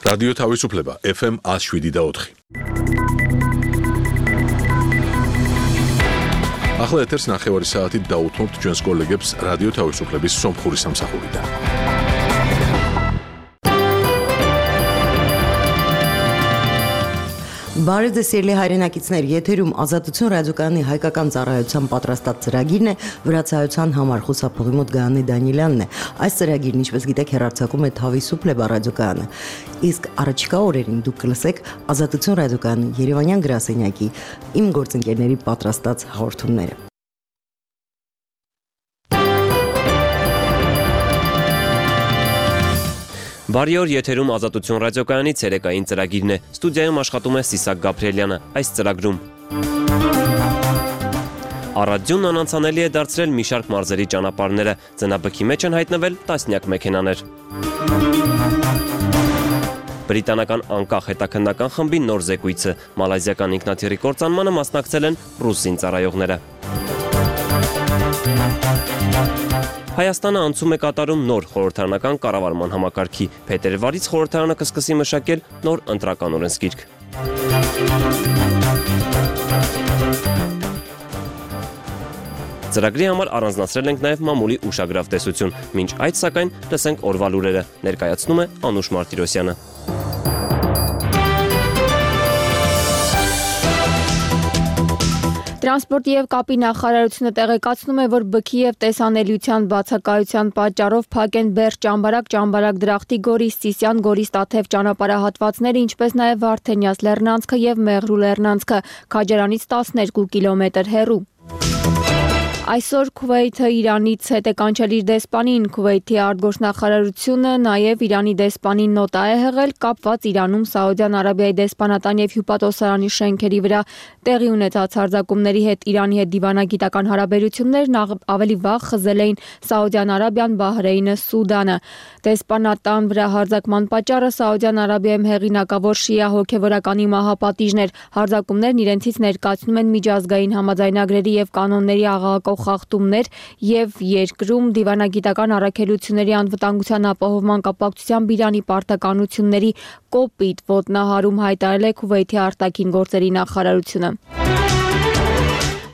Ռադիո Թավիսուփլեբա FM 107.4 Ახლა ეთერს ნახევარი საათით დაუთმობთ ჩვენს კოლეგებს რადიო თავისუფლების სომხური სამსახურიდან. Բարև ձեզ սիրելի հայրենակիցներ, եթերում Ազատություն ռադիոկայանի հայկական ծառայության պատրաստած ծրագիրն է, վրացայության համար խուսափողի մոտ Գայանե Դանիելյանն է։ Այս ծրագիրն, ինչպես գիտեք, հեռարձակում է Թավիսուփլեբա ռադիոկայանը։ Իսկ առաջիկա օրերին դուք կլսեք Ազատություն ռադիոկայանի Երևանյան գրասենյակի իմ գործընկերների պատրաստած հաղորդումները։ Բարի օր, եթերում Ազատություն ռադիոկայանի ցերեկային ծրագիրն է։ Ստուդիայում աշխատում է Սիսակ Գաբրիելյանը։ Այս ծրագրում Առադյունն անանցանելի է դարձրել մի շարք մարզերի ճանապարհները, ծնաբքի մեջ են հայտնվել տասնյակ մեքենաներ։ Բրիտանական անկախ հետաքննական խմբի նոր զեկույցը, մալայզիական ինքնաթիռի կործանմանը մասնակցել են ռուս զինծառայողները։ Հայաստանը անցում է կատարում նոր խորհրդարանական կառավարման համակարգի, փետրվարից խորհրդարանը կսկսի մշակել նոր ընտրական օրենսգիրք։ Ծրագրի համար առանձնացրել ենք նաև մամուլի ուշագրավ տեսություն, մինչ այդ սակայն լսենք օրվա լուրերը, ներկայացնում է Անուշ Մարտիրոսյանը։ Տրանսպորտի և կապի նախարարությունը տեղեկացնում է, որ բքի և տեսանելիության բացակայության պատճառով փակ են Բերդ Ճամբարակ Դրախտի Գորիս Սիսյան Գորիս Տաթև ճանապարհահատվածները, ինչպես նաև Վարդենյաց լեռնանցքը և Մեղրու լեռնանցքը, Քաջարանից 12 կիլոմետր հեռու։ Այսօր Քուվեյթը Իրանից հետ է կանչել իր դեսպանին, Քուվեյթի արտգործնախարարությունը նաև Իրանի դեսպանին նոտա է հղել կապված Իրանում Սաուդյան Արաբիայի դեսպանատան և հյուպատոսարանի շենքերի վրա տեղի ունեցած հարձակումների հետ Իրանի հետ դիվանագիտական հարաբերություններն ավելի վաղ խզել էին Սաուդյան Արաբիան, Բահրեյնը, Սուդանը։ Դեսպանատան վրա հարձակման պատճառը Սաուդյան Արաբիայում հեղինակավոր շիա հոգևորականի մահապատիժն էր։ Հարձակումներն իրենցից ներկայացնում են միջազգային համաձայնագրերի և կանոնների աղաղակող խախտումներ եւ երկրում դիվանագիտական առաքելությունների անվտանգության ապահովման կապակցությամբ Իրանի պարտականությունների կոպիտ ոտնահարում հայտարարել է Քուվեյթի արտաքին գործերի նախարարությունը։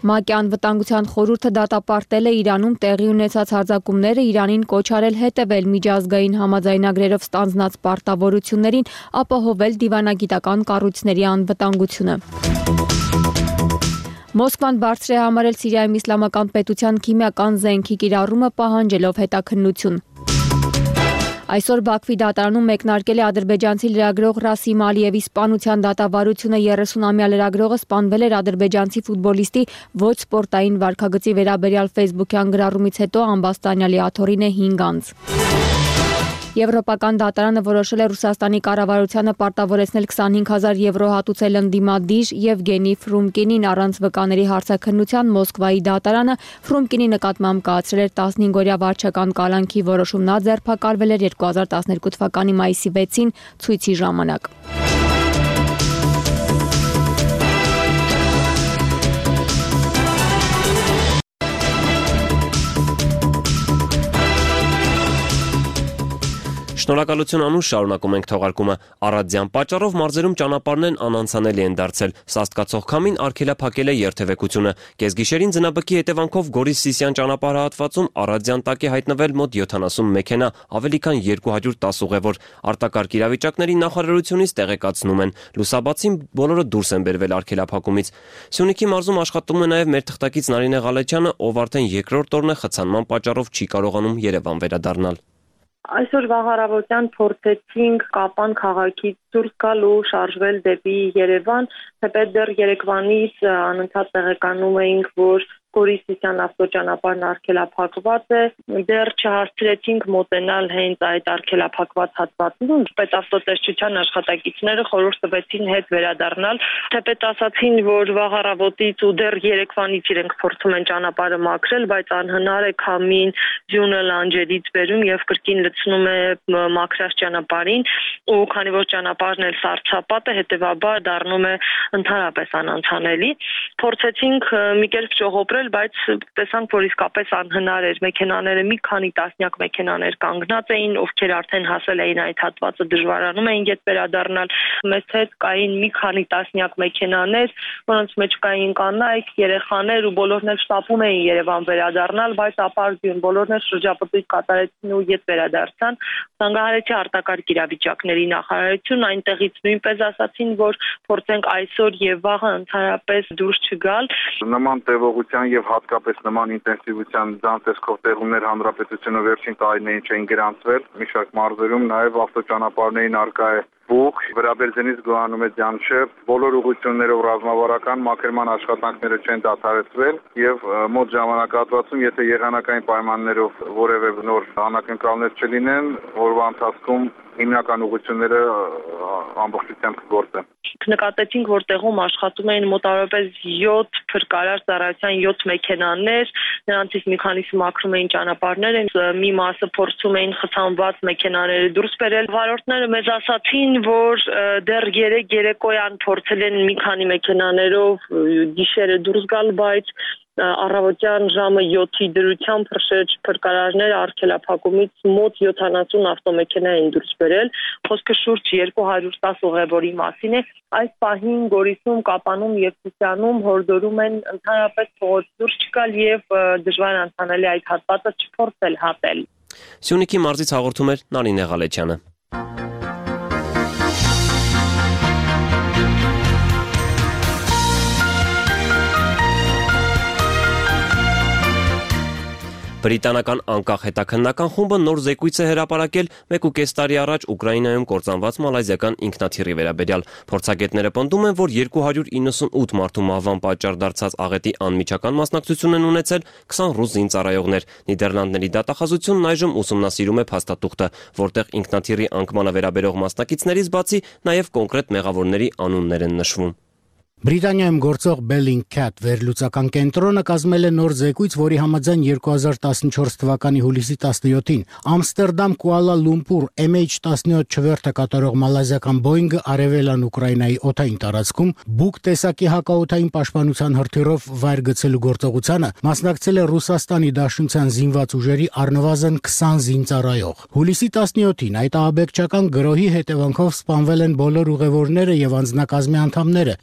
ՄԱԿ-ի անվտանգության խորհուրդը դատապարտել է Իրանում տեղի ունեցած հարձակումները, Իրանին կոչ արել հետևել միջազգային համաձայնագրերով ստանձնած պարտավորություններին, ապահովել դիվանագիտական կառույցների անվտանգությունը։ Մոսկվան բարձր է համարել Սիրիայում իսլամական պետության քիմիական զենքի կիրառումը պահանջելով հետաքննություն։ Այսօր Բաքվի դատարանում մեկնարկել է ադրբեջանցի լրագրող Ռասիմ Ալիևի սպանության դատավարությունը 30-ամյա լրագրողը սպանվել էր ադրբեջանցի ֆուտբոլիստի ոչ սպորտային վարքագծի վերաբերյալ ֆեյսբուքյան գրառումից հետո ամբաստանյալի աթոռին է 5 անց։ Եվրոպական դատարանը որոշել է Ռուսաստանի կառավարությանը պարտավորեցնել 25,000 եվրո հատուցել ընդդիմադիր Եվգենի Ֆրումկինին առանց վկաների հարցաքննության Մոսկվայի դատարանը Ֆրումկինի նկատմամբ կայացրել էր 15-օրյա վարչական կալանքի որոշում, նա ձերբակալվել էր 2012 թվականի մայիսի 6-ին ցույցի ժամանակ։ Շնորհակալություն Անուշ, շարունակում ենք թողարկումը։ Առադյան պատճառով մարզերում ճանապարհներն անանցանելի են դարձել։ Սաստկացող քամին արգելափակել է երթևեկությունը։ Կեսգիշերին ձնաբքի հետևանքով Գորիս Սիսյան ճանապարհահատվածում Առադյան տակ է հայտնվել մոտ 70 մեքենա, ավելի քան 210 ուղևոր։ Արտակարգ իրավիճակների նախարարությունից տեղեկացնում են, լուսաբացին բոլորը դուրս են բերվել արգելափակումից։ Սյունիքի մարզում աշխատում է նաև մեր թղթակից Նարինե Ղալեչյանը, ով արդեն երկրորդ օրն է խցանման պատճառով չի կարողանում Երևան վերադառնալ։ Այսօր վաղ փորձեցինք Կապան քաղաքից դուրս գալ ու շարժվել դեպի Երևան, թեպետ դեռ Երևանից անընդհատ տեղեկանում էինք, որ Գորիս Սիսյան ավտոճանապարհն արգելափակված է, դեռ չհասցրեցինք մոտենալ հենց այդ արգելափակված հատվածին, պետավտոտեսչության աշխատակիցները խորհուրդ տվեցին հետ վերադառնալ, թեպետ ասացին, որ վաղ առավոտից ու դեռ երեկվանից իրենք փորձում են ճանապարհը մաքրել, բայց անհնար է քամին ձյունը լանջերից բերում եւ կրկին լցնում է մաքրած ճանապարհին, ու քանի որ ճանապարհն էլ սառցապատ է, հետեւաբար դառնում է ընդհանրապես անանցանելի։ Փորձեցինք մի կերպ ճողոպրել ապահովել, բայց տեսանք, որ իսկապես անհնար էր։ Մեքենաները մի քանի տասնյակ մեքենաներ կանգնած էին, ովքեր արդեն հասել էին այդ հատվածը, դժվարանում էին գետ վերադառնալ։ Մեզ հետ կային մի քանի տասնյակ մեքենաներ, որոնց մեջ կային կանայք, երեխաներ ու բոլորն էլ շտապում էին Երևան վերադառնալ, բայց ապարդյուն բոլորն էլ շրջապտույտ կատարեցին ու գետ վերադարձան։ Զանգահարեցի արտակարգ իրավիճակների նախարարություն այնտեղից նույնպես ասացին, որ փորձենք այսօր եւ վաղը ընդհանրապես դուրս չգալ։ Նման տևողության եւ հատկապես նման ինտենսիվության ցանցերով տեղումներ հանրապետությունը վերջին տարիներին չէին գրանցվել։ Մի շարք մարզերում նաեւ ավտոճանապարհներին արկա է բուխ, Վերաբերձենից գոհանում է Ձանշեր, բոլոր ուղղություններով ռազմավարական մաքրման աշխատանքները չեն դադարեցվել եւ մոտ ժամանակահատվածում, եթե եղանակային պայմաններով որևէ նոր անակնկալներ չլինեն, օրվա ընթացքում հիմնական ուղղությունները ամբողջությամբ կգործեն։ Նկատեցինք, որ տեղում աշխատում էին մոտավորապես 7 փրկարար ծառայության 7 մեքենաներ, նրանցից մի քանիսը մաքրում էին ճանապարհները, մի մասը փորձում էին խցանված մեքենաները դուրս բերել։ Վարորդները մեզ ասացին, որ դեռ երեկոյան փորձել են մի քանի մեքենաներով գիշերը դուրս գալ, բայց առավոտյան ժամը 7-ի դրությամբ փրկարարները արգելափակումից մոտ 70 ավտոմեքենա են դուրս բերել, խոսքը շուրջ 210 ուղևորի մասին է։ Այս պահին Գորիսում, Կապանում եւ Սիսիանում հորդորում են ընդհանրապես փողոց դուրս չգալ եւ դժվար անցանել այդ հատվածը չփորձել հատել։ Սյունիքի մարզից հաղորդում էր Նարինե Ղալեչյանը։ Բրիտանական անկախ հետաքննական խումբը նոր զեկույց է հրապարակել 1.5 տարի առաջ Ուկրաինայում կործանված մալայզիական ինքնաթիռի վերաբերյալ։ Փորձագետները պնդում են, որ 298 մարդու մահվան պատճառ դարձած աղետի անմիջական մասնակցություն են ունեցել 20 ռուս զինծառայողներ։ Նիդերլանդների դատախազությունն այժմ ուսումնասիրում է փաստաթուղթը, որտեղ ինքնաթիռի անկմանը վերաբերող մասնակիցներից բացի նաև կոնկրետ մեղավորների անուններ են նշվում։ Բրիտանիայում գործող Bellingcat վերլուծական կենտրոնը կազմել է նոր զեկույց, որի համաձայն 2014 թվականի հուլիսի 17-ին Ամստերդամ Կուալա Լումպուր MH17 չվերթը կատարող մալայզիական Boeing-ը արևելան Ուկրաինայի օդային տարածքում բուկ տեսակի հակաօդային պաշտպանության հրթիռով վայր գցելու գործողությանը մասնակցել է Ռուսաստանի Դաշնության զինված ուժերի առնվազն 20 զինծառայող։ Հուլիսի 17-ին այդ ահաբեկչական գրոհի հետևանքով սպանվել են բոլոր ուղևորները եւ անձնակազմի անդամները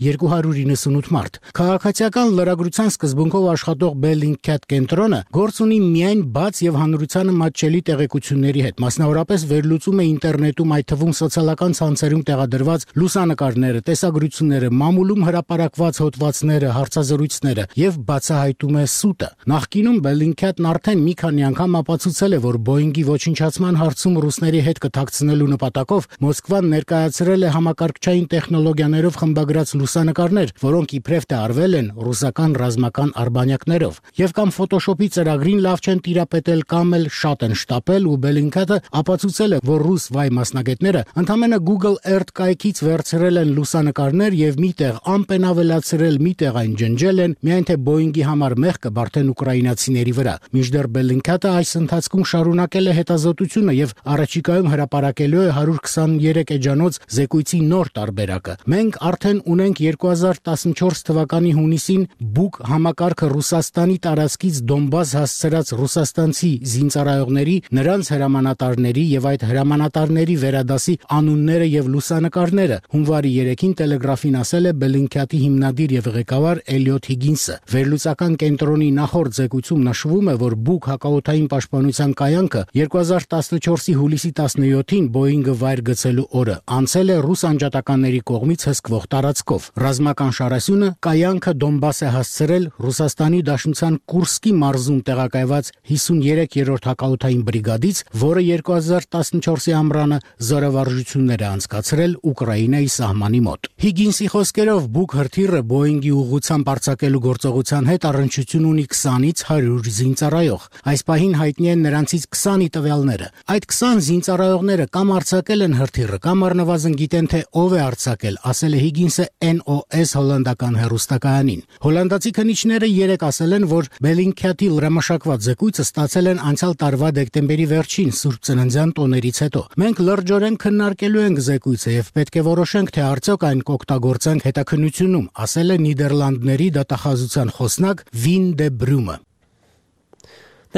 298 մարդ։ Քաղաքացիական լրագրության սկզբունքով աշխատող Bellingcat կենտրոնը գործ ունի միայն բաց եւ հանրությանը մատչելի տեղեկությունների հետ, մասնավորապես վերլուծում է ինտերնետում, այդ թվում սոցիալական ցանցերում տեղադրված լուսանկարները, տեսագրությունները, մամուլում հրապարակված հոդվածները, հարցազրույցները եւ բացահայտում է սուտը։ Նախկինում Bellingcat-ն արդեն մի քանի անգամ ապացուցել է, որ Boeing-ի ոչնչացման հարցում ռուսների հետ կթաքցնելու նպատակով Մոսկվան ներկայացրել է համակարգչային տեխնոլոգիաներով խմբագրած լուսանկարներ, որոնք իբրև թե արվել են ռուսական ռազմական արբանյակներով, եւ կամ Photoshop-ի ծրագրին լավ չեն տիրապետել կամ էլ շատ են շտապել, ու Bellingcat-ը ապացուցել է, որ ռուս վայ մասնագետները ընդամենը Google Earth կայքից վերցրել են լուսանկարներ եւ միտեղ ամպ են ավելացրել, միտեղ այն ջնջել են, միայն թե Boeing-ի համար մեղքը բարդեն ուկրաինացիների վրա։ Մինչդեռ Bellingcat-ը այս ընթացքում շարունակել է հետազոտությունը եւ առաջիկայում հրապարակելու է 123 էջանոց զեկույցի նոր տարբերակը։ Մենք արդեն ունենք 2014 թվականի հունիսին բուկ համակարգը Ռուսաստանի տարածքից Դոնբաս հասցրած ռուսաստանցի զինծառայողների, նրանց հրամանատարների եւ այդ հրամանատարների վերադասի անունները եւ լուսանկարները, հունվարի 3-ին Տելեգրաֆին ասել է Bellingcat-ի հիմնադիր եւ ղեկավար Էլիոթ Հիգինսը։ Վերլուծական կենտրոնի նախորդ զեկույցում նշվում է, որ բուկ հակաօդային պաշտպանության կայանքը 2014-ի հուլիսի 17-ին Boeing-ը վայր գցելու օրը անցել է ռուս անջատականների կողմից հսկվող տարածքով։ Ռազմական շարասյունը կայանքը Դոնբաս է հասցրել Ռուսաստանի Դաշնության Կուրսկի մարզում տեղակայված 53-րդ հակաօդային բրիգադից, որը 2014-ի ամռանը զորավարժություններ է անցկացրել Ուկրաինայի սահմանի մոտ։ Հիգինսի խոսքերով բուկ հրթիռը Boeing-ի ուղղությամբ արձակելու գործողության հետ առնչություն ունի 20-ից 100 զինծառայող։ Այս պահին հայտնի են նրանցից 20-ի տվյալները։ Այդ 20 զինծառայողները կամ արձակել են հրթիռը, կամ առնվազն գիտեն, թե ով է արձակել, ասել է Հիգինսը NOS այս հոլանդական հեռուստակայանին։ Հոլանդացի քննիչները երեկ ասել են, որ Bellingcat-ի լրամշակված զեկույցը ստացել են անցյալ տարվա դեկտեմբերի վերջին Սուրբ Ծննդյան տոներից հետո։ Մենք լրջորեն քննարկելու ենք զեկույցը եւ պետք է որոշենք, թե արդյոք այն կօգտագործենք հետաքննությունում, ասել է Նիդերլանդների դատախազության խոսնակ Վին դե Բրումը։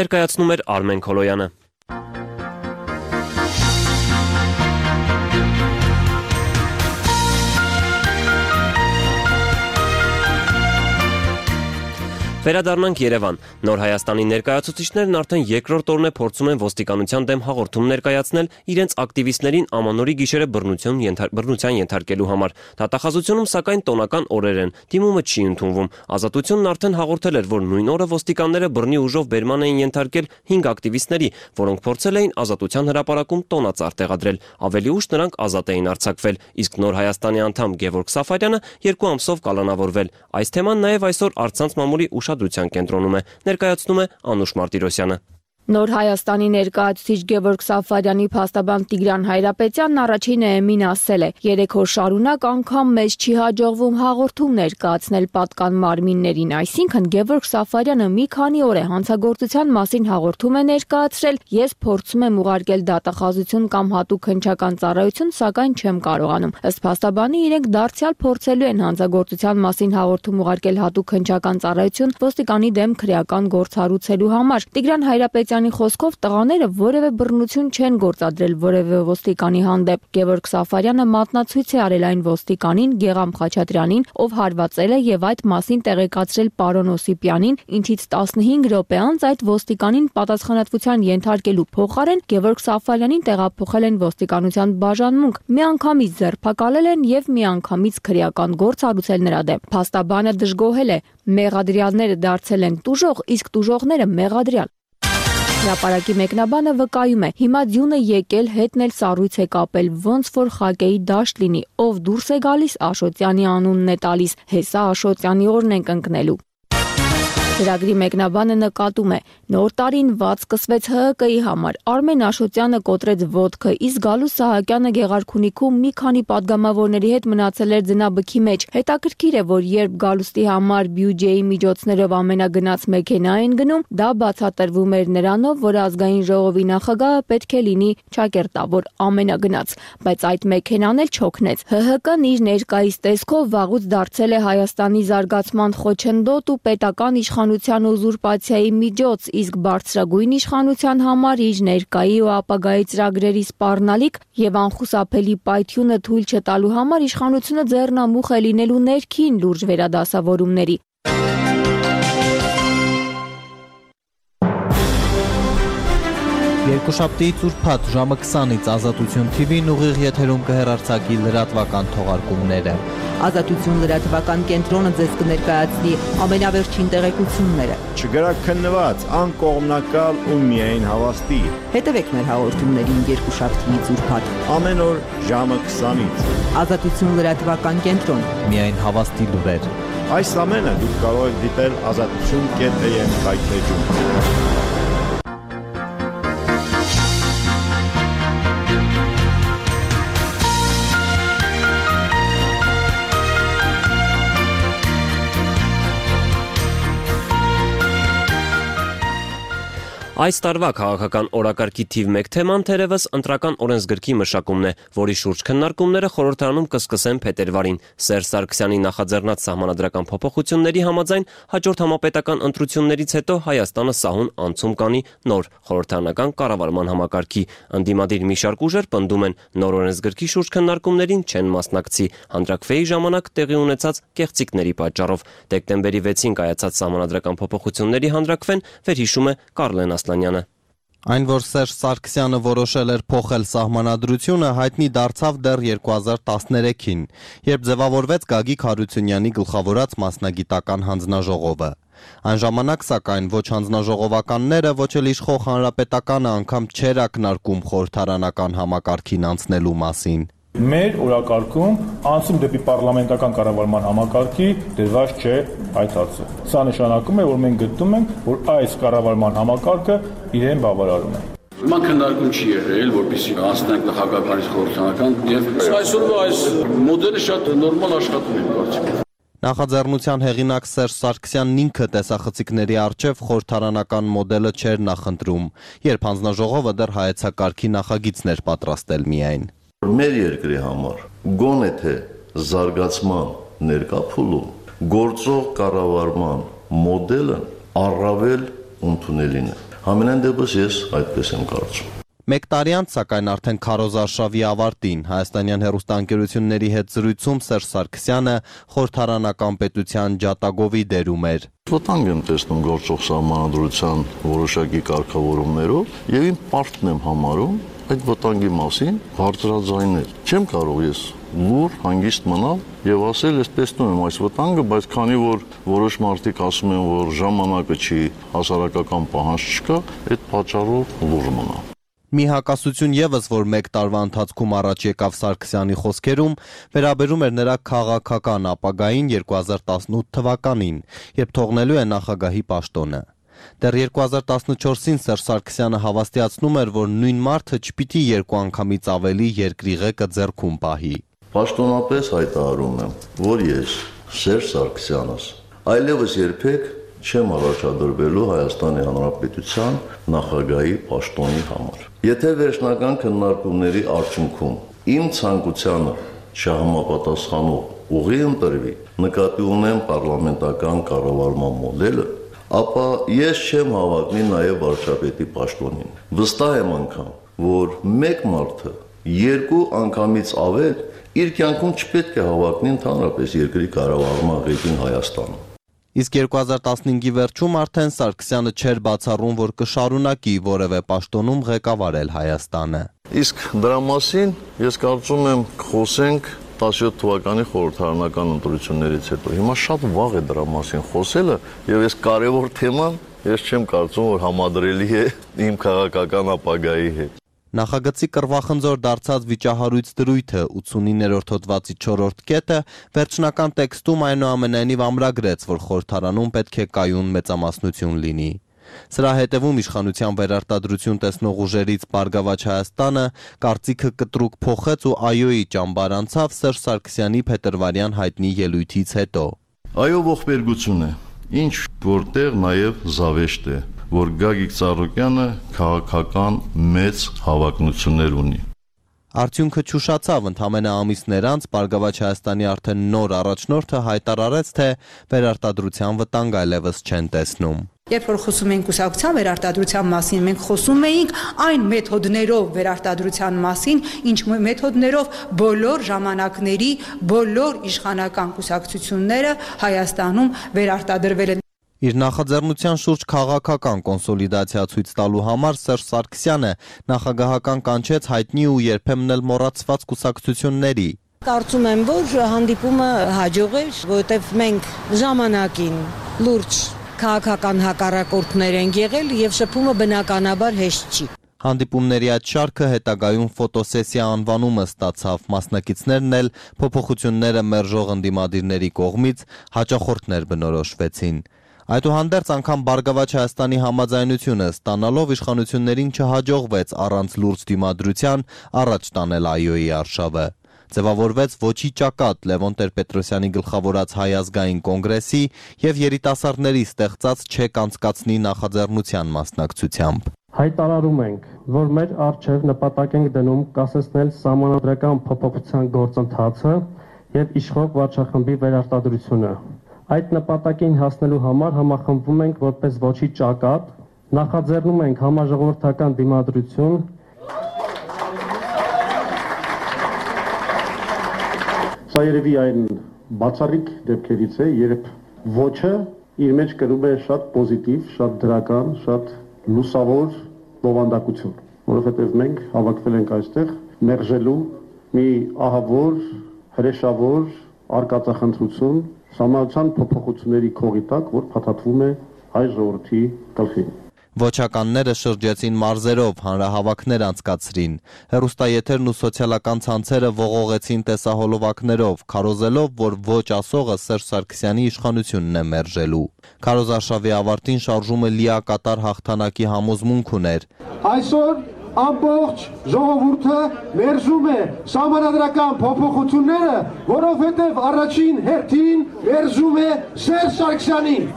Ներկայացնում էր Արմեն Քոլոյանը։ Վերադառնանք Երևան։ Նոր Հայաստանի ներկայացուցիչներն արդեն երկրորդ օրն է փորձում են ոստիկանության դեմ հաղորդում ներկայացնել իրենց ակտիվիստներին ամանորի գիշերը բռնության ենթարկելու համար։ Դատախազությունում սակայն տոնական օրեր են, դիմումը չի ընդունվում։ Ազատությունն արդեն հաղորդել էր, որ նույն օրը ոստիկանները բռնի ուժով բերման էին ենթարկել 5 ակտիվիստների, որոնք փորձել էին Ազատության հրապարակում տոնածառ տեղադրել։ Ավելի ուշ նրանք ազատ էին արձակվել, իսկ Նոր Հայաստանի անդամ Գևորգ Սաֆարյանը 2 ամսով կալանավորվել։ Այս թեման նաև այսօր առցանց մամուլի ուշադրության կենտրոնում է, ներկայացնում է Անուշ Մարտիրոսյանը։ Նոր Հայաստանի ներկայացուցիչ Գևորգ Սաֆարյանի փաստաբան Տիգրան Հայրապետյանն առաջին էմին ասել է. 3 օր շարունակ անգամ մեզ չի հաջողվում հաղորդում ներկայացնել պատկան մարմիններին, այսինքն Գևորգ Սաֆարյանը մի քանի օր է հանցագործության մասին հաղորդում է ներկայացրել, ես փորձում եմ ուղարկել դատախազություն կամ հատուկ հնչական ծառայություն, սակայն չեմ կարողանում։ Ըստ փաստաբանի իրենք դարձյալ փորձելու են հանցագործության մասին հաղորդում ուղարկել հատուկ հնչական ծառայություն ոստիկանի դեմ քրեական գործ հարուցելու համար։ Տիգրան Հայրապետյանի խոսքով տղաները որևէ բռնություն չեն գործադրել որևէ ոստիկանի հանդեպ։ Գևորգ Սաֆարյանը մատնացույց է արել այն ոստիկանին Գեղամ Խաչատրյանին, ով հարվածել է եւ այդ մասին տեղեկացրել պարոն Օսիպյանին, ինչից 15 րոպե անց այդ ոստիկանին պատասխանատվության ենթարկելու փոխարեն Գևորգ Սաֆարյանին տեղափոխել են ոստիկանության բաժանմունք, միանգամից ձերբակալել են եւ միանգամից քրեական գործ հարուցել նրա դեմ։ Փաստաբանը դժգոհել է. մեղադրյալները դարձել են տուժող, իսկ տուժողները մեղադրյալ։ Հրապարակի մեկնաբանը վկայում է. հիմա ձյունը եկել, հետն էլ սառույց է կապել, ոնց որ խակեի դաշտ լինի, ով դուրս է գալիս, Աշոտյանի անունն է տալիս, հեսա Աշոտյանի օրն ենք ընկնելու։ Ծրագրի մեկնաբանը նկատում է. նոր տարին վատ սկսվեց ՀՀԿ-ի համար, Արմեն Աշոտյանը կոտրեց ոտքը, իսկ Գալուս Սահակյանը Գեղարքունիքում մի քանի падգամավորների հետ մնացել էր ձնաբքի մեջ։ Հետաքրքիր է, որ երբ Գալուստի համար բյուջեի միջոցներով ամենագնաց մեքենա են գնում, դա բացատրվում էր նրանով, որ ազգային ժողովի նախագահը պետք է լինի ճակերտավոր ամենագնաց, բայց այդ մեքենան էլ չօգնեց։ ՀՀԿ-ն իր ներկայիս տեսքով վաղուց դարձել է Հայաստանի զարգացման խոչընդոտ ու պետական իշխանության ուզուրպացիայի միջոց, իսկ բարձրագույն իշխանության համար իր ներկայի ու ապագայի ծրագրերի սպառնալիք եւ անխուսափելի պայթյունը թույլ չտալու համար իշխանությունը ձեռնամուխ է լինելու ներքին լուրջ վերադասավորումների։ Երկուշաբթի ծուրփաթ ժամը 20-ից Ազատություն TV-ն ուղիղ եթերում կհեռարձակի լրատվական թողարկումները։ Ազատություն լրատվական կենտրոնը ձեզ կներկայացնի ամենավերջին տեղեկությունները։ Չգրաքննված, անկողմնակալ ու միայն հավաստի։ Հետևեք մեր հաղորդումներին երկուշաբթիից ուրբաթ ամեն օր ժամը 20-ից։ Ազատություն լրատվական կենտրոն։ Միայն հավաստի լուրեր։ Այս ամենը դուք կարող եք դիտել azatutun.am կայքեջում։ Այս տարվա քաղաքական օրակարգի թիվ 1 թեման թերևս ընտրական օրենսգրքի մշակումն է, որի շուրջ քննարկումները խորհրդարանում կսկսեն փետրվարին։ Սերժ Սարգսյանի նախաձեռնած սահմանադրական փոփոխությունների համաձայն հաջորդ համապետական ընտրություններից հետո Հայաստանը սահուն անցում կանի նոր խորհրդարանական կառավարման համակարգի։ Ընդդիմադիր մի շարք ուժեր պնդում են նոր օրենսգրքի շուրջ քննարկումներին չեն մասնակցի հանրակրվեի ժամանակ տեղի ունեցած կեղծիքների պատճառով։ Դեկտեմբերի 6-ին կայացած սահմանադրական փոփոխությունների հանրակրվեն վերհիշում է Կարլեն Ասլանյանը։ Այն, որ Սերժ Սարգսյանը որոշել էր փոխել սահմանադրությունը, հայտնի դարձավ դեռ 2013-ին, երբ ձևավորվեց Գագիկ Հարությունյանի գլխավորած մասնագիտական հանձնաժողովը։ Այն ժամանակ, սակայն, ոչ հանձնաժողովականները, ոչ էլ իշխող հանրապետականը անգամ չէր ակնարկում խորհրդարանական համակարգին անցնելու մասին։ Մեր օրակարգում անցում դեպի պարլամենտական կառավարման համակարգի դրված չէ այդ հարցը։ Սա նշանակում է, որ մենք գտնում ենք, որ այս կառավարման համակարգը իրեն բավարարում է։ Հիմա քննարկում չի եղել, որպեսզի անցնենք նախագահականից խորհրդարանական եւ այսօրվա այս մոդելը շատ նորմալ աշխատում է, կարծիքով։ Նախաձեռնության հեղինակ Սերժ Սարգսյանն ինքը տեսախցիկների առջև խորհրդարանական մոդելը չէր նախընտրում, երբ հանձնաժողովը դեռ հայեցակարգի նախագիծներ պատրաստել միայն։ Մեր երկրի համար գոնե թե զարգացման ներկա փուլում գործող կառավարման մոդելը առավել ընդունելին է։ Համենայն դեպս ես այդպես եմ կարծում։ Մեկ տարի անց, սակայն արդեն քարոզարշավի ավարտին հայաստանյան հեռուստաընկերությունների հետ զրույցում Սերժ Սարգսյանը խորհրդարանական պետության ջատագովի դերում էր։ Վտանգ եմ տեսնում գործող սահմանադրության որոշակի կարգավորումներով եւ իմ պարտքն եմ համարում այդ վտանգի մասին բարձրաձայնել։ Չեմ կարող ես լուր հանգիստ մնալ եւ ասել, ես տեսնում եմ այս վտանգը, բայց քանի որ որոշ մարդիկ ասում են, որ ժամանակը չի, հասարակական պահանջ չկա, այդ պատճառով լուր մնալ։ Մի հակասություն եւս, որ մեկ տարվա ընթացքում առաջ եկավ Սարգսյանի խոսքերում, վերաբերում էր նրա քաղաքական ապագային 2018 թվականին, երբ թողնելու է նախագահի պաշտոնը։ Դեռ 2014-ին Սերժ Սարգսյանը հավաստիացնում էր, որ նույն մարդը չպիտի երկու անգամից ավելի երկրի ղեկը ձեռքում պահի։ Պաշտոնապես հայտարարում եմ, որ ես Սերժ Սարգսյանս այլևս երբեք չեմ առաջադրվելու Հայաստանի Հանրապետության նախագահի պաշտոնի համար։ Եթե վերջնական քննարկումների արդյունքում իմ ցանկությանը չհամապատասխանող ուղի ընտրվի, նկատի ունեմ պարլամենտական կառավարման մոդելը, ապա ես չեմ հավակնի նաև վարչապետի պաշտոնին։ Վստահ եմ անգամ, որ մեկ մարդը երկու անգամից ավել իր կյանքում չպետք է հավակնի ընդհանրապես երկրի կառավարման ղեկին Հայաստանում։ Իսկ 2015-ի վերջում արդեն Սարգսյանը չէր բացառում, որ կշարունակի որևէ պաշտոնում ղեկավարել Հայաստանը։ Իսկ դրա մասին ես կարծում եմ խոսենք 17 թվականի խորհրդարանական ընտրություններից հետո։ Հիմա շատ վաղ է դրա մասին խոսելը, եւ այս կարևոր թեման ես չեմ կարծում, որ համադրելի է իմ քաղաքական ապագայի հետ։ Նախագծի կռվախնձոր դարձած վիճահարույց դրույթը 89-րդ հոդվածի 4-րդ կետը վերջնական տեքստում այնուամենայնիվ ամրագրեց, որ խորհրդարանում պետք է կայուն մեծամասնություն լինի։ Սրա հետևում իշխանության վերարտադրություն տեսնող ուժերից Բարգավաճ Հայաստանը կարծիքը կտրուկ փոխեց ու այոյի ճամբար անցավ Սերժ Սարգսյանի փետրվարյան հայտնի ելույթից հետո։ Այո, ողբերգություն է, ինչ որտեղ նաև զավեշտ է, որ Գագիկ Ծառուկյանը քաղաքական մեծ հավակնություններ ունի։ Արդյունքը չուշացավ, ընդամենը ամիսներ անց Բարգավաճ Հայաստանի արդեն նոր առաջնորդը հայտարարեց, թե վերարտադրության վտանգ այլևս չեն տեսնում։ Երբ որ խոսում ենք կուսակցության վերարտադրության մասին, մենք խոսում էինք այն մեթոդներով վերարտադրության մասին, ինչ մեթոդներով բոլոր ժամանակների բոլոր իշխանական կուսակցությունները Հայաստանում վերարտադրվել են։ Իր նախաձեռնության շուրջ քաղաքական կոնսոլիդացիա ցույց տալու համար Սերժ Սարգսյանը նախագահական կանչեց հայտնի ու երբեմն էլ մոռացված կուսակցությունների։ Կարծում եմ, որ հանդիպումը հաջող էր, որովհետև մենք ժամանակին լուրջ քաղաքական հակառակորդներ են եղել եւ շփումը բնականաբար հեշտ չի։ Հանդիպումների այդ շարքը հետագայում ֆոտոսեսիա անվանումը ստացավ, մասնակիցներն էլ փոփոխությունները մերժող ընդդիմադիրների կողմից հաճախորդներ բնորոշվեցին։ Այդուհանդերձ անգամ Բարգավաճ Հայաստանի համաձայնությունը ստանալով իշխանություններին չհաջողվեց առանց լուրջ դիմադրության առաջ տանել այոյի արշավը։ Ձևավորվեց ոչի ճակատ Լևոն Տեր-Պետրոսյանի գլխավորած Հայ ազգային կոնգրեսի եւ երիտասարդների ստեղծած չեք անցկացնի նախաձեռնության մասնակցությամբ։ Հայտարարում ենք, որ մեր առջև նպատակ ենք դնում կասեցնել սահմանադրական փոփոխության գործընթացը եւ իշխող վարչախմբի վերարտադրությունը։ Այդ նպատակին հասնելու համար համախմբվում ենք որպես ոչի ճակատ, նախաձեռնում ենք համաժողովրդական դիմադրություն, Սա երևի այն բացառիկ դեպքերից է, երբ ոչը իր մեջ կրում է շատ պոզիտիվ, շատ դրական, շատ լուսավոր բովանդակություն, որովհետև մենք հավաքվել ենք այստեղ մերժելու մի ահավոր, հրեշավոր արկածախնդրություն, սահմանադրության փոփոխությունների քողի տակ, որ փաթաթվում է հայ ժողովրդի գլխին։ Ոչականները շրջեցին մարզերով, հանրահավաքներ անցկացրին, հեռուստաեթերն ու սոցիալական ցանցերը ողողեցին տեսահոլովակներով, քարոզելով, որ ոչ ասողը Սերժ Սարգսյանի իշխանությունն է մերժելու։ Քարոզարշավի ավարտին շարժումը լիակատար հաղթանակի համոզմունք ուներ։ Այսօր ամբողջ ժողովուրդը մերժում է սահմանադրական փոփոխությունները, որովհետև առաջին հերթին մերժում է Սերժ Սարգսյանին։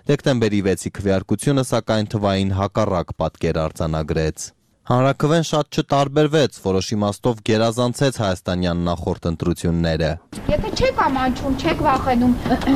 Դեկտեմբերի 6-ի քվեարկությունը սակայն թվային հակառակ պատկեր արձանագրեց։ Հանրաքվեն շատ չտարբերվեց, որոշ իմաստով գերազանցեց հայաստանյան նախորդ ընտրությունները։ Եթե չեք ամանչում, չեք վախենում,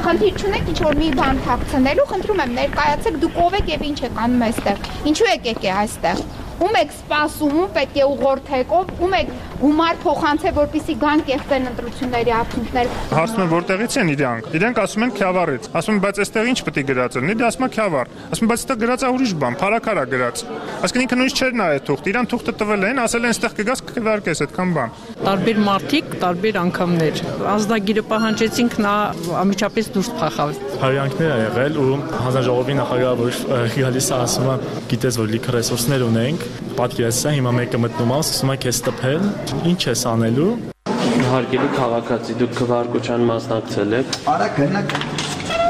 խնդիր չունեք ինչ-որ մի բան թաքցնելու, խնդրում եմ ներկայացեք, դուք ով եք եւ ինչ եք անում այստեղ։ Ինչու եկեք այստեղ։ Ում եք սպասում, ում պետք է ուղղորդեք, ում եք գումար փոխանցել, որպեսզի գան կեղծեն ընտրությունների արդյունքները։ Հարցնում եմ որտեղից են իրանք ասում են Քյավառից։ Ասում են բայց այստեղ ինչ պետք է գրած լինի, դա ասում է Քյավառ։ Ասում են բայց այստեղ գրած է ուրիշ բան, Փարաքարա գրած։ Այսինքն ինքը նույնիսկ չէր նայել թուղթ, իրան թուղթը տվել են, ասել են այստեղ կգաս կվարկես այդքան բան։ Տարբեր մարդիկ, տարբեր անգամներ։ Ազդագիրը պահանջեցինք, նա ամիջապես դուրս փախավ։ Հարյանքներ ա եղել ու հանձնաժողովի նախագահը որ գալիս է ասում է գիտես որ լիքը ռեսուրսներ ունենք, պատկերացրու հիմա մեկը մտնում է, ասում է քեզ տփել, ինչ ես անելու։ Հարգելի քաղաքացի, դուք քվեարկության մասնակցել եք։ Արա գնաք։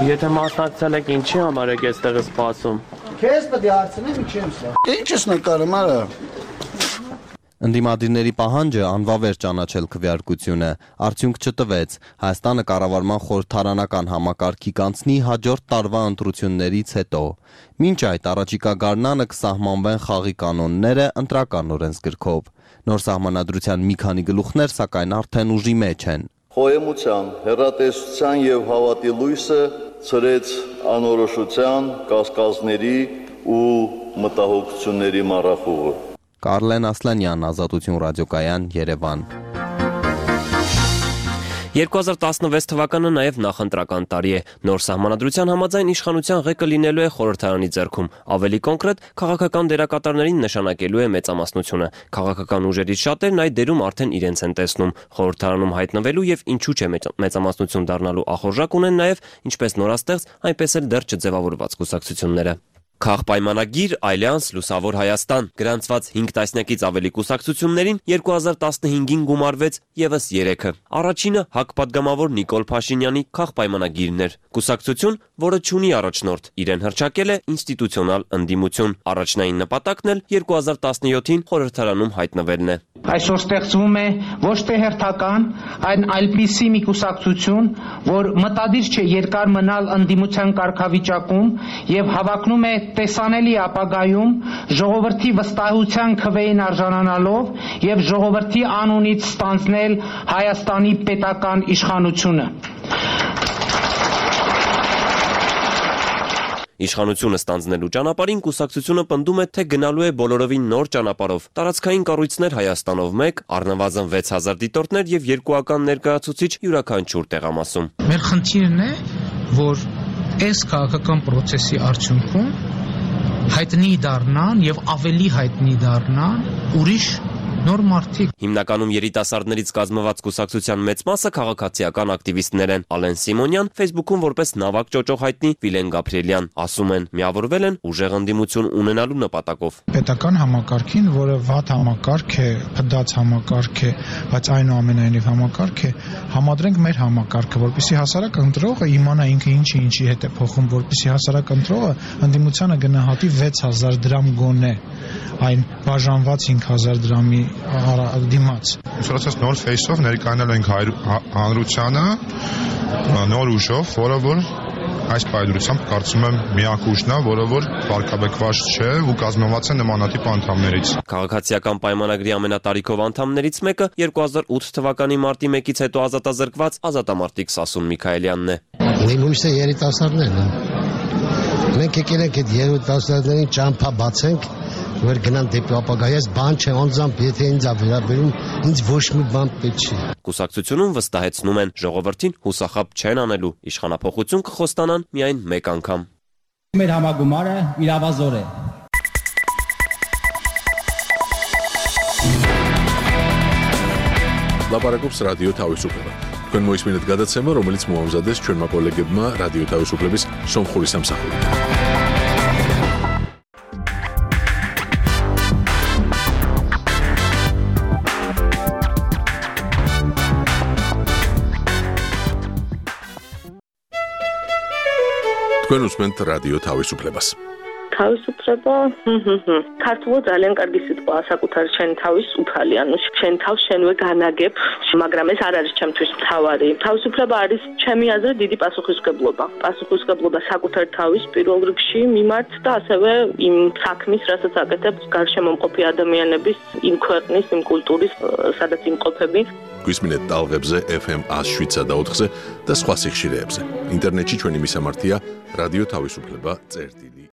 Եթե մասնակցել եք, ինչի համար եք այստեղ սպասում։ Քեզ պետք է հարցնեմ ինչ եմ սա։ Ինչ ես նկարում, արա։ Ընդդիմադիրների պահանջը անվավեր ճանաչել քվեարկությունը արդյունք չտվեց։ Հայաստանը կառավարման խորհրդարանական համակարգի կանցնի հաջորդ տարվա ընտրություններից հետո։ Մինչ այդ առաջիկա գարնանը կսահմանվեն խաղի կանոնները ընտրական օրենսգրքով։ Նոր սահմանադրության մի քանի գլուխներ սակայն արդեն ուժի մեջ են։ Խոհեմության, հեռատեսության եւ հավատի լույսը ծրեց անորոշության, կասկածների ու մտահոգությունների մառախուղը։ Կարլեն Ասլանյան, Ազատություն ռադիոկայան, Երևան։ 2016 թվականը նաև նախընտրական տարի է։ Նոր սահմանադրության համաձայն իշխանության ղեկը լինելու է խորհրդարանի ձեռքում։ Ավելի կոնկրետ, քաղաքական դերակատարներին նշանակելու է մեծամասնությունը։ Քաղաքական ուժերից շատերն այդ դերում արդեն իրենց են տեսնում։ Խորհրդարանում հայտնվելու եւ ինչու՞ չէ մեծամասնություն դառնալու ախորժակ ունեն նաև ինչպես նորաստեղծ, այնպես էլ դեռ չձևավորված կուսակցությունները։ Քաղպայմանագիր, Ալյանս, Լուսավոր Հայաստան գրանցված 5 տասնյակից ավելի կուսակցություններին 2015-ին գումարվեց եւս 3-ը։ Առաջինը հակպատգամավոր Նիկոլ Փաշինյանի քաղպայմանագիրն էր։ Կուսակցություն, որը չունի առաջնորդ, իրեն հռչակել է ինստիտուցիոնալ ընդդիմություն։ Առաջնային նպատակն էլ 2017-ին խորհրդարանում հայտնվելն է։ Այսօր ստեղծվում է ոչ թե հերթական, այլպիսի մի կուսակցություն, որ մտադիր չէ երկար մնալ ընդդիմության կարգավիճակում եւ հավակնում է տեսանելի ապագայում ժողովրդի վստահության քվեին արժանանալով եւ ժողովրդի անունից ստանձնել Հայաստանի պետական իշխանությունը։ Իշխանությունը ստանձնելու ճանապարհին կուսակցությունը պնդում է, թե գնալու է բոլորովին նոր ճանապարհով։ Տարածքային կառույցներ Հայաստանով 1, առնվազն 6000 դիտորդներ եւ 2 ական ներկայացուցիչ յուրաքանչյուր տեղամասում։ Մեր խնդիրն է, որ այս քաղաքական process-ի արդյունքում հայտնի դառնան եւ ավելի հայտնի դառնան ուրիշ նոր մարդիկ։ Հիմնականում երիտասարդներից կազմված կուսակցության մեծ մասը քաղաքացիական ակտիվիստներ են։ Ալեն Սիմոնյան Facebook-ում որպես նավակ ճոճող հայտնի Վիլեն Գաբրիելյան ասում են, միավորվել են ուժեղ ընդդիմություն ունենալու նպատակով։ Պետական համակարգին, որը վատ համակարգ է, փդած համակարգ է, բայց այնուամենայնիվ համակարգ է, համադրենք մեր համակարգը, որպեսզի հասարակ ընտրողը իմանա ինքը ինչի հետ է փոխում, որպեսզի հասարակ ընտրողը ընդդիմությանը գնահատի 6000 դրամ գոնե, այն բաժանված 5000 դրամի դիմաց։ Ուսուցած նոր ֆեյսով ներկայանալ ենք հանրությանը, նոր ուժով, որը որ այս պայմանությամբ կարծում եմ միակ ուժն է, որը որ վարկաբեկված չէ ու կազմված է նմանատիպ անդամներից։ Քաղաքացիական պայմանագրի ամենատարիքով անդամներից մեկը 2008 թվականի մարտի 1-ից հետո ազատազրկված ազատամարտիկ Սասուն Միքայելյանն է։ Նույնիսկ երիտասարդներն են։ Մենք եկել ենք այդ երիտասարդներին ճամփա բացենք, որ գնան դեպի ապագայից, բան չէ, անձամբ եթե ինձ վերաբերում, ինձ ոչ մի բան պետք չի։ Կուսակցությունում վստահեցնում են, ժողովրդին հուսախաբ չեն անելու, իշխանափոխություն կխոստանան միայն մեկ անգամ։ Մեր համագումարը իրավազոր է։ Լապարակոպս ռադիո თავისუფლება։ Თქვენ მოისმინეთ გადაცემა, რომელიც მოამზადეს ჩვენმა კოლეგებმა რადიო თავისუფლების სომხური სამსახურით. თქვენ უსმენთ რადიო თავისუფლებას. Თავისუფლება, ქართულად ძალიან კარგი სიტყვა, საკუთარ შენ თავის უფალი, ანუ შენ თავს შენვე განაგებ, მაგრამ ეს არ არის ჩემთვის მთავარი. თავისუფლება არის ჩემი აზრით დიდი პასუხისმგებლობა. პასუხისმგებლობა საკუთარ თავის პირველ რიგში მიმართ და ასევე იმ საქმის, რასაც აკეთებ გარშემო მყოფი ადამიანების, იმ ქვეყნის, იმ კულტურის, სადაც იმყოფები. გვისმინეთ ტალღებზე FM 107 და 4-ზე და სხვა სიხშირეებზე. ინტერნეტში ჩვენი მისამართია რადიო თავისუფლება წერტილი